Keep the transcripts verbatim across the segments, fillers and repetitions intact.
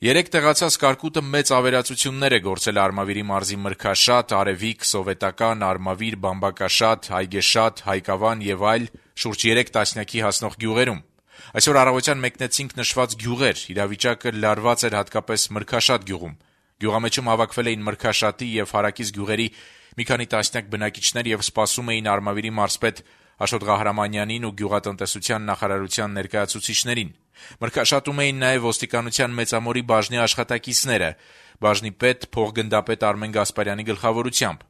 Երեկ տեղացած կարկուտը մեծ ավերածություններ է գործել Արմավիրի մարզի Մրգաշատ, Արևիկ, Սովետական, Արմավիր, Բամբակաշատ, Այգեշատ, Հայկավան եւ այլ շուրջ երեք տասնյակի հասնող գյուղերում։ Այսօր առավոտյան մեկնեցինք նշված գյուղեր, իրավիճակը լարված էր հատկապես Մրգաշատ գյուղում։ Գյուղամեջում հավաքվել էին Մրգաշատի եւ Հարակից գյուղերի մի քանի տասնյակ բնակիչներ եւ սպասում էին Արմավիրի մարզպետ Աշոտ Ղահրամանյանին ու գյուղատնտեսության նախարարության ներկայացուցիչներին։ Մրգաշատում էին նաև ոստիկանության մեծամորի բաժնի աշխատակիցները, բաժնի պետ փոխգնդապետ Արմեն Գասպարյանի գլխավորությամբ։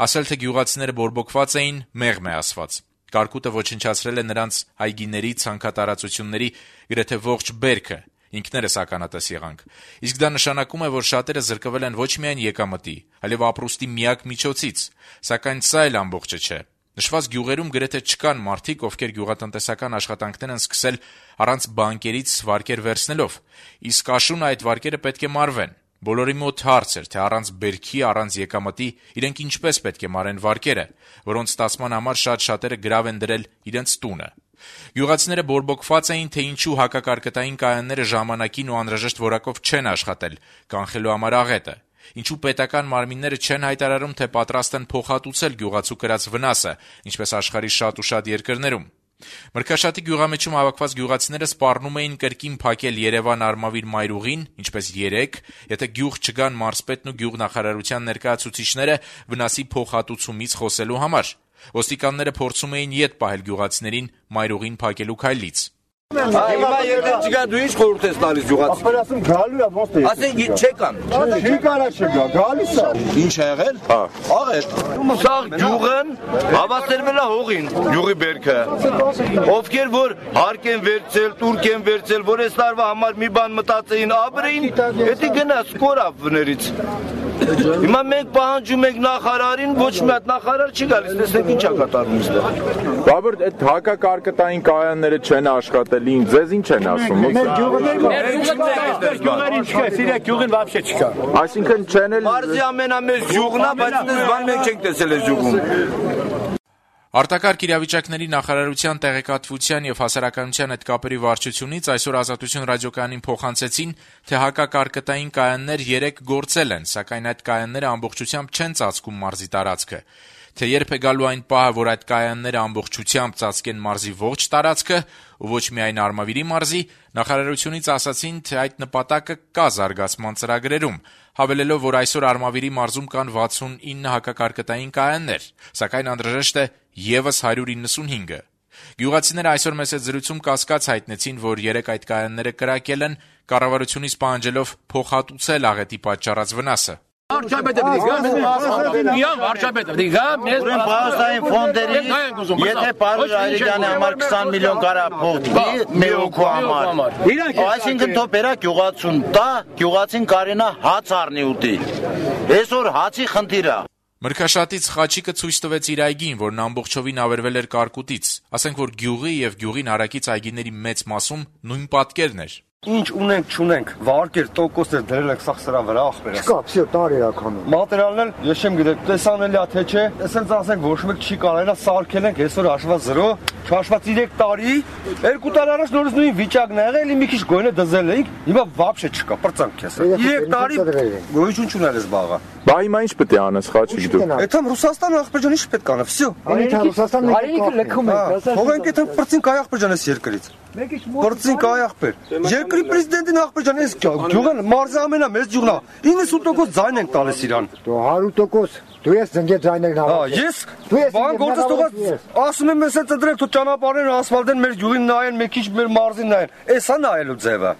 Ասել թե գյուղացիները բորբոքված էին, մեղմ է ասված։ Կարկուտը ոչնչացրել է նրանց այգիների, ցանքատարածությունների գրեթե ողջ բերքը։ Ինքներս ականատես եղանք։ Իսկ դա նշանակում է, որ շատերը զրկվել են ոչ միայն եկամտի, այլև ապրուստի միակ միջոցից, սակայն սա էլ ամբողջը չէ։ Նշված գյուղերում գրեթե չկան մարդիկ, ովքեր գյուղատնտեսական աշխատանքներ են սկսել առանց բանկերից վարկեր վերցնելով, իսկ աշուն այդ վարկերը պետք է մարվեն։ Բոլորի մոտ հարց էր, թե առանց բերքի, առանց եկամտի իրենք ինչպես պետք է մարեն վարկերը, որոնց ստացման համար շատ շատերը գրավ են դրել իրենց տունը։ Գյուղացիները բորբոքված էին, թե ինչու հակակարկտային կայանները ժամանակին ու անհրաժեշտ որակով չեն աշխատել, կանխելու համար աղետը։ Ինչու պետական մարմինները չեն հայտարարում, թե պատրաստ են փոխհատուցել գյուղացու կրած վնասը, ինչպես աշխարհի շատ ու շատ երկրներում։ Մրգաշատի գյուղամեջում հավաքված գյուղացիները սպառնում էին կրկին փակել Երևան-Արմավիր մայրուղին, ինչպես երեկ, եթե գյուղ չգան մարզպետն ու գյուղնախարարության ներկայացուցիչները վնասի փոխհատուցումից խոսելու համար։ Ոստիկանները փորձում էին ետ պահել գյուղացիներին մայրուղին փակելու քայլից։ Հիմա երբեք չգա, դու ինչ խորհուրդ ես տալիս գյուղացի։ Ապերասում գալու է ոնց է։ Ասենք չեկան։ Չի կարա չգա, գալիս է։ Ինչ ա եղել։ Հա։ Աղեր։ Սա գյուղն հավասարվել է հողին, գյուղի բերքը։ Ովքեր որ հարկ են վերցել, տուրք են վերցել, որ այս տարվա համար մի բան մտածեին, ապրեին, դա գնաց կորավներից։ Հիմա մենք պահանջում ենք նախարարին, ոչ մի հատ նախարար չի գալիս, տեսեք ինչ ա կատարվում այստեղ։ Բաբր, այդ հակակարկտային կայանները չեն աշխատել, ձեզ ինչ են ասում։ Մեր գյուղերին չկա, սիրա գյուղին вообще չկա։ Այսինքն չեն էլ Մարզի ամենամեծ գյուղն է, բայց այս բան մենք չենք տեսել այս գյուղում։ Արտակարգ իրավիճակների նախարարության տեղեկատվության եւ հասարակայնության հետ կապերի վարչությունից այսօր Ազատություն ռադիոկայանին փոխանցեցին, թե հակակարկտային կայաններ երեք գործել են, սակայն այդ կայանները ամբողջությամբ չեն ծածկում մարզի տարածքը։ Թե երբ է գալու այն պահը, որ այդ կայանները ամբողջությամբ ծածկեն մարզի ողջ տարածքը ու ոչ միայն Արմավիրի մարզի, նախարարությունից ասացին, թե այդ նպատակը կա զարգացման ծրագրերում, հավելելով, որ այսօր Արմավիրի մարզում կան վաթսունինը հակակարկտային կայաններ, սակայն անհրաժեշտ է եւս հարյուր իննսունհինգը։ Գյուղացիները այսօր մեծ զրույցում կասկած հայտնեցին, որ երեք այդ կայանները կրակել են, կառավարությունից պահանջելով փոխհատուցել աղետի պատճառած վնասը։ Վարչապետը դիգա, միան վարչապետը դիգա, մեզ բազային ֆոնդերի, եթե Պարուժ Այրիջանի համար քսան միլիոն կարա փող տի, մի օքու համար։ Այսինքն թող բերա գյուղացուն տա, գյուղացին կարենա հաց առնի ուտի։ Այսօր հացի խնդիր է։ Մրգաշատից Խաչիկը ցույց տվեց իր այգին, որն ամբողջովին ավերվել էր կարկուտից։ Ասենք, որ գյուղի եւ գյուղին հարակից այգիների մեծ մասում նույն պատկերն էր։ Ինչ ունենք, չունենք, վարկեր, տոկոսներ դրել ենք սա սրա վրա ախպերս։ Չկա, всё, տարի է քանում։ Մատերիալն էլ ես չեմ գիտեմ, տեսանելի է թե չէ, այսպես ասենք ոչ մեկ չի կարելա սարքել ենք, այսօր հաշված զրո, չհաշված երեք տարի, երկու տարի առաջ նորից նույն վիճակն ա եղել, էլի մի քիչ գոյնը դզել էինք, հիմա вообще չկա, պրծանք քեզ։ երեք տարի գոյություն չունել էս բաղը։ Բա հիմա ինչ պետք է անես, Խաչիկ դու։ Այդամ Ռուսաստան ախպերջան ինչ պետք անա, всё։ Ռուսաստանն Հայրենիքը լքում է, թողենք այդ պրծին կայ ախպերջան էս երկրից։ Պրծին կայ ախպեր։ Երկրի պրեզիդենտին ախպերջան էս գյուղը մարզի ամենամեծ գյուղն է։ իննսուն տոկոս ձայն ենք տալիս իրան։ Դու հարյուր տոկոս դու ես ձնգե ձայներ նավա։ Հա, ես բան գործս թողած ասում եմ ես ծդրեք թո ճանապարհները ասֆալտեն մեր գյուղին նայեն, մի քիչ մեր մարզին նայեն։ Էսա նայելու ձևը։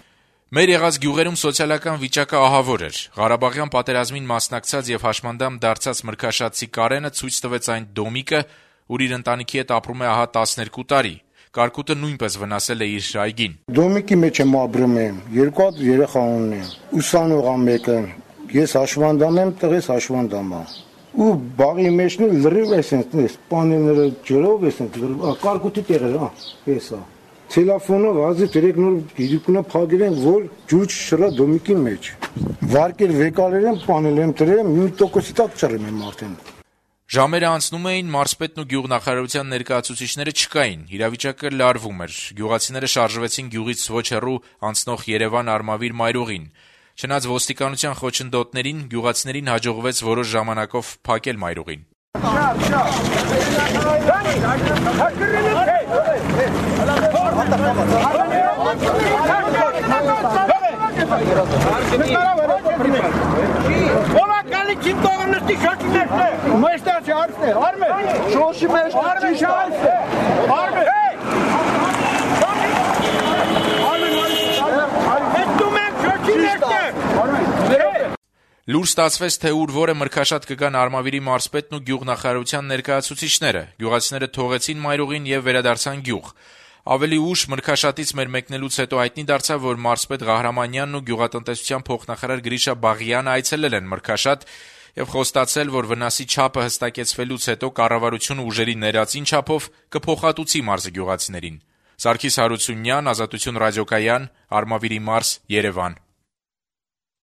Մեր եղած գյուղերում սոցիալական վիճակը ահավոր էր։ Ղարաբաղյան պատերազմին մասնակցած եւ հաշմանդամ դարձած մրգաշատցի Կարենը ցույց տվեց այն դոմիկը, ուր իր ընտանիքի հետ ապրում է ահա տասներկու տարի։ Կարկուտը նույնպես վնասել է իր այգին։ Դոմիկի մեջ եմ ապրում եմ, երկու հատ երեխա ունեմ։ Ուսանող ամ մեկը, ես հաշմանդամ եմ, տղես հաշմանդամ է։ Ու բաղի մեջն լրիվ է sense, պանելները ջրով է sense, կարկուտի տեղը, հա, էսա։ Տելեֆոնով ազի դրեք նոր գիրիկունը փակել են, որ ջուր շրա դոմիկի մեջ։ Վարկեր վեկալեր են, պանել եմ դրեմ, մի տոկոսի տակ ճռեմ եմ արդեն։ Ժամերը անցնում էին, մարզպետն ու գյուղնախարարության ներկայացուցիչները չկային, իրավիճակը լարվում էր, գյուղացիները շարժվեցին գյուղից ոչ հեռու անցնող Երևան-Արմավիր մայրուղին։ Չնայած ոստիկանության խոչընդոտներին գյուղացիներին հաջողվեց որոշ ժամանակով փակել մայրուղին։ Լուր ստացվեց, թե ուր որը մրգաշատ կգան Արմավիրի մարզպետն ու գյուղնախարարության ներկայացուցիչները։ Գյուղացիները թողեցին մայրուղին եւ վերադարձան գյուղ։ Ավելի ուշ մրգաշատից մեր մեկնելուց հետո հայտնի դարձավ, որ մարզպետ Ղահրամանյանն ու գյուղատնտեսության փոխնախարար Գրիշա Բաղյանը այցելել են մրգաշատ եւ խոստացել, որ վնասի չափը հստակեցվելուց հետո կառավարությունը ուժերի ներածին չափով կփոխհատուցի մարզի գյուղացիներին։ Սարգիս Հարությունյան, Ազատություն ռադիոկայան, Արմավիրի մարզ, Երևան։